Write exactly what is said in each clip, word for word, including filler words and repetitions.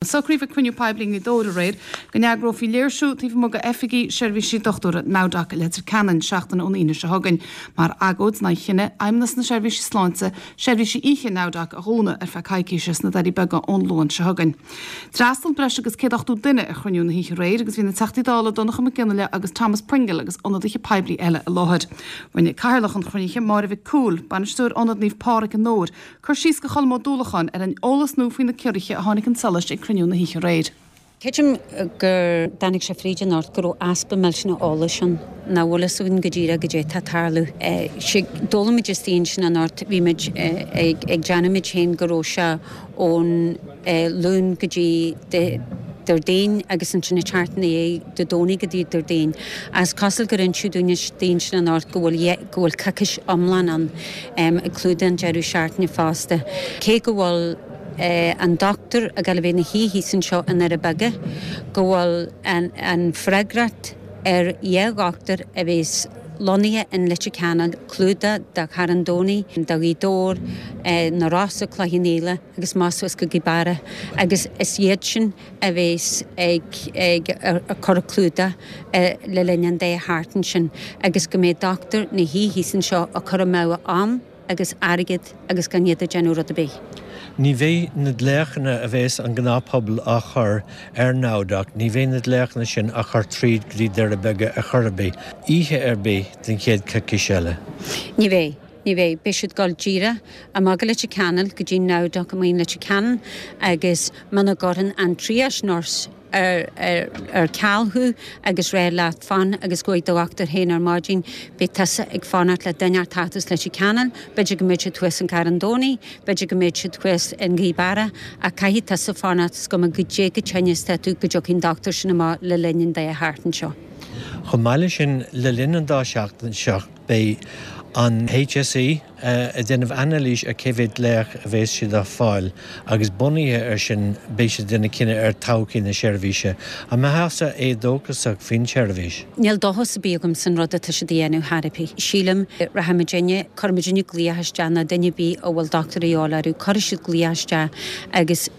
Socraíodh ag cruinniú poiblí i nGaoth Dobhair aréir go n-eagrófaí léirsiú taobh amuigh d'oifigí seirbhísí dochtúra NowDoc i Leitir Ceanainn seachtain ón Aoine seo chugainn, mar agóid in aghaidh chinneadh Fheidhmeannas na Seirbhíse Sláinte seirbhísí oíche NowDoc a dhúnadh ar feadh coicíse sna Doirí Beaga ón Luan seo chugainn. D'fhreastail breis agus céad ochtó duine ar chruinniú na hoíche aréir agus bhí na Teachtaí Dála Donncha Mac Fhionnghaile agus Thomas Pringle agus ionadaithe poiblí eile i láthair. Rinne Cathaoirleach an chruinnithe Máire Mhic Cumhaill, bainisteoir Ionad Naomh Pádraig i nDobhar, cur síos do Cholm Ó Dúlacháin ar an eolas nua faoi na ciorruithe a tháinig chun solais ag cruinniú na hoíche aréir. Creidim gur tháinig sé fríd anocht go raibh easpa millteanach eolais ann, nach bhfuil fhios againn go díreach goidé tá ag tarlú. D'fhoghlaim muid istigh ansin anocht, bhí muid ag déanamh muid féin go raibh sé ón Luan go dtí Déardaoin agus ansin ag teacht ina dhiaidh Dé Domhnaigh go dtí Déardaoin. Is cosúil gur inseadh dúinn istigh ansin anocht go bhfuil go bhfuil coicís iomlán ann ag clúdach an deireadh seachtaine fosta. Cé go bhfuil an dochtúir ag dul a bheith ina shuí thíos anseo i nDoire Beaga, go bhfuil an freagracht ar dhá dhochtúir a bheas lonnaithe in Leitir Ceanainn, clúdach do Charn Domhnaigh, do Ghaoth Dobhair, na Rosa, Cloich Cheann Fhaola agus amach suas go Gaoth Beara agus is iad sin a bheas ag ag cur clúdach le linn an dá sheachtain sin agus go mbeidh dochtúir ina shuí thíos anseo ag cur amú am agus airgead agus gan iad ag déanamh rud ar bith. Ní bheidh na glaochanna a bheas an gnáthphobal á chur ar NowDoc, ní bheidh na glaochanna sin á chur tríd go dtí Doire Beaga ar chor ar bith, oíche ar bith den chéad choicís eile. Ní bheidh. Ní bheidh. Beidh siad ag dul díreach amach go Leitir Ceanainn go dtí NowDoc amuigh in Leitir Ceanainn agus muna gcuireann an triage nurse ar ceal thú agus rá leat fan agus gabh chuig do dhochtúir féin ar maidin, beidh tusa ag fanacht le duine a theacht as Leitir Ceanainn, b'fhéidir go mbeidh siad thuas in Carn Domhnaigh, b'fhéidir go mbeidh siad thuas in Gaoth Beara, ach caithfidh tusa fanacht is cuma goidé chomh tinn is atá tú go dtiocfaidh an dochtúir sin amach le linn an dá sheachtain seo. Chomh maith leis sin, le linn an dá sheachtain seo, beidh an HSE ag déanamh anailís ar cé mhéad glaoch a bheas siad á fáil agus bunaithe air sin beidh siad ag déanamh cinneadh ar todhchaí na seirbhíse. An mbeifeása éadóchasach faoin tseirbhís? Níl dóchas ar bith agam san rud atá siad a dhéanamh chor ar bith. Sílim, rachaidh muidinne, cuirfidh muidinne glaoch isteach nó duine ar bith a bhfuil dochtúir a dhíobháil orthu, cuirfidh siad glaoch isteach agus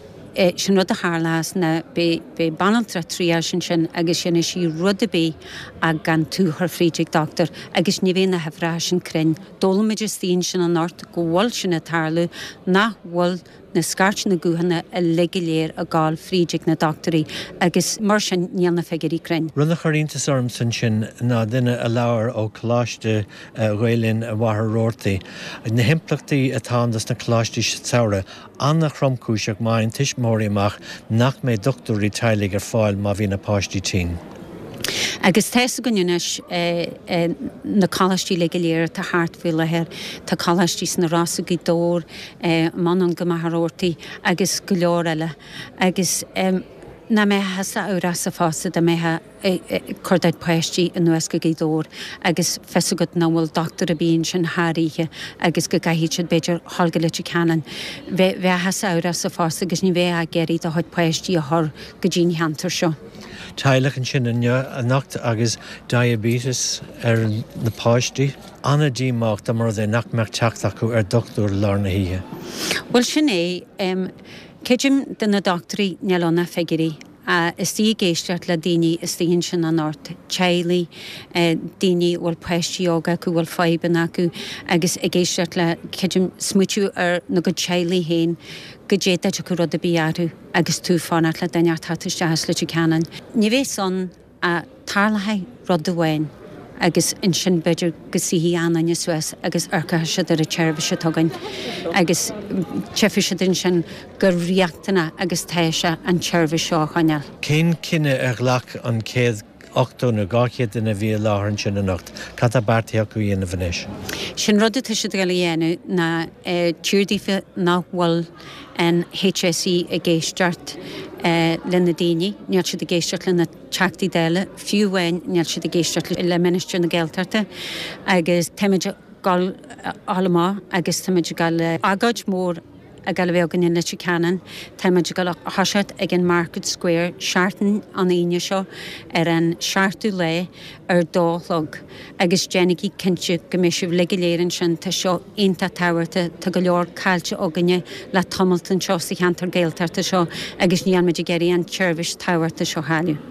sin rud a tharlós ná beidh banaltra triage ansin agus déanfaidh sí rud ar bith ach gan tú a chur fríd ag dochtúir agus ní bheidh na huimhreacha sin cruinn. D'fhoghlaim muid istigh ansin anocht go bhfuil sin ag tarlú, nach bhfuil na scairteanna guthanna uilig go léir ag gabháil fríd ag na dochtúirí agus mar sin níl na figiúirí cruinn. Rud a chuir iontas ormsa ansin ná duine a labhair ó Choláiste Ghael Linn i Machaire Rabhartaigh. Na himpleachtaí atá ann dos na coláistí samhraidh, an-thromchúiseach má fhaigheann tuismitheoirí amach nach mbeidh dochtúirí teaghlaigh ar fáil má bhíonn a bpáistí tinn. Agus tá fhios againn anois na coláistí uilig go léir atá thart faoi láthair, tá coláistí sna Rosa, Gaoth Dobhair, anonn go Machaire Rabhartaigh agus go leor eile agus nach mbeifeá thusa amhrasach fosta dá mbeifeá ag cur do chuid páistí anuas go Gaoth Dobhair agus fios agat nach bhfuil dochtúir ar bith ansin thar oíche agus go gcaithfidh siad b'fhéidir dhul go Leitir Ceanainn. Bheifeá thusa amhrasach fosta agus ní bheifeá ag iarraidh do chuid páistí a chur go dtí an cheantar seo. Teaghlach ansin inniu anocht agus diabetes ar na páistí. An-díomách dá mba rud é nach mbeadh teacht acu ar dhochtúir i lár na hoíche. Bhuel sin é. Creidim do na dochtúirí níl ann ach figiúirí. Istigh ag éisteacht le daoine istigh ansin anocht, teaghlaigh, daoine a bhfuil páistí óga acu, a bhfuil fadhbanna acu agus ag éisteacht le, creidim, smaoitiú ar na gcuid teaghlaigh féin, goidé dá dtiocfadh rud ar bith orthu agus tú ag fanacht le duine a theacht isteach as Leitir Ceanainn. Ní bheidh ann ach tarlóidh rud amháin agus ansin b'fhéidir go suífidh achan duine suas agus amharcfaidh siad ar an tseirbhís atá againn agus tchífidh siad ansin gur riachtanach agus tá sé an tseirbhís seo a choinneáil. Cén cinneadh a ghlac an céad ochtó nó dhá chéad duine a bhí i láthair ansin anocht? Cad tá beartaithe acu a dhéanamh anois? Sin rud atá siad ag dul a dhéanamh ná tír daofa nach bhfuil an HSE ag éisteacht le na daoine, níl siad ag éisteacht le na Teachtaí Dála, fiú amháin níl siad ag éisteacht le Minister na Gaeltachta agus táimid ag dul amach agus táimid ag dul agóid mór ag dul a bheith againn i Leitir Ceanainn. Tá muid ag dul a thoiseacht ag an Market Square seachtain an Aoine seo ar an seachtú lá ar dó a chlog agus déanaigí cinnte go mbeidh sibh uilig go léir ansin, tá seo iontach tábhachtach, tá go leor caillte againne le tamalt anseo sa cheantar Gaeltachta seo agus níl muid ag iarraidh an tseirbhís tábhachtach seo a chailleadh.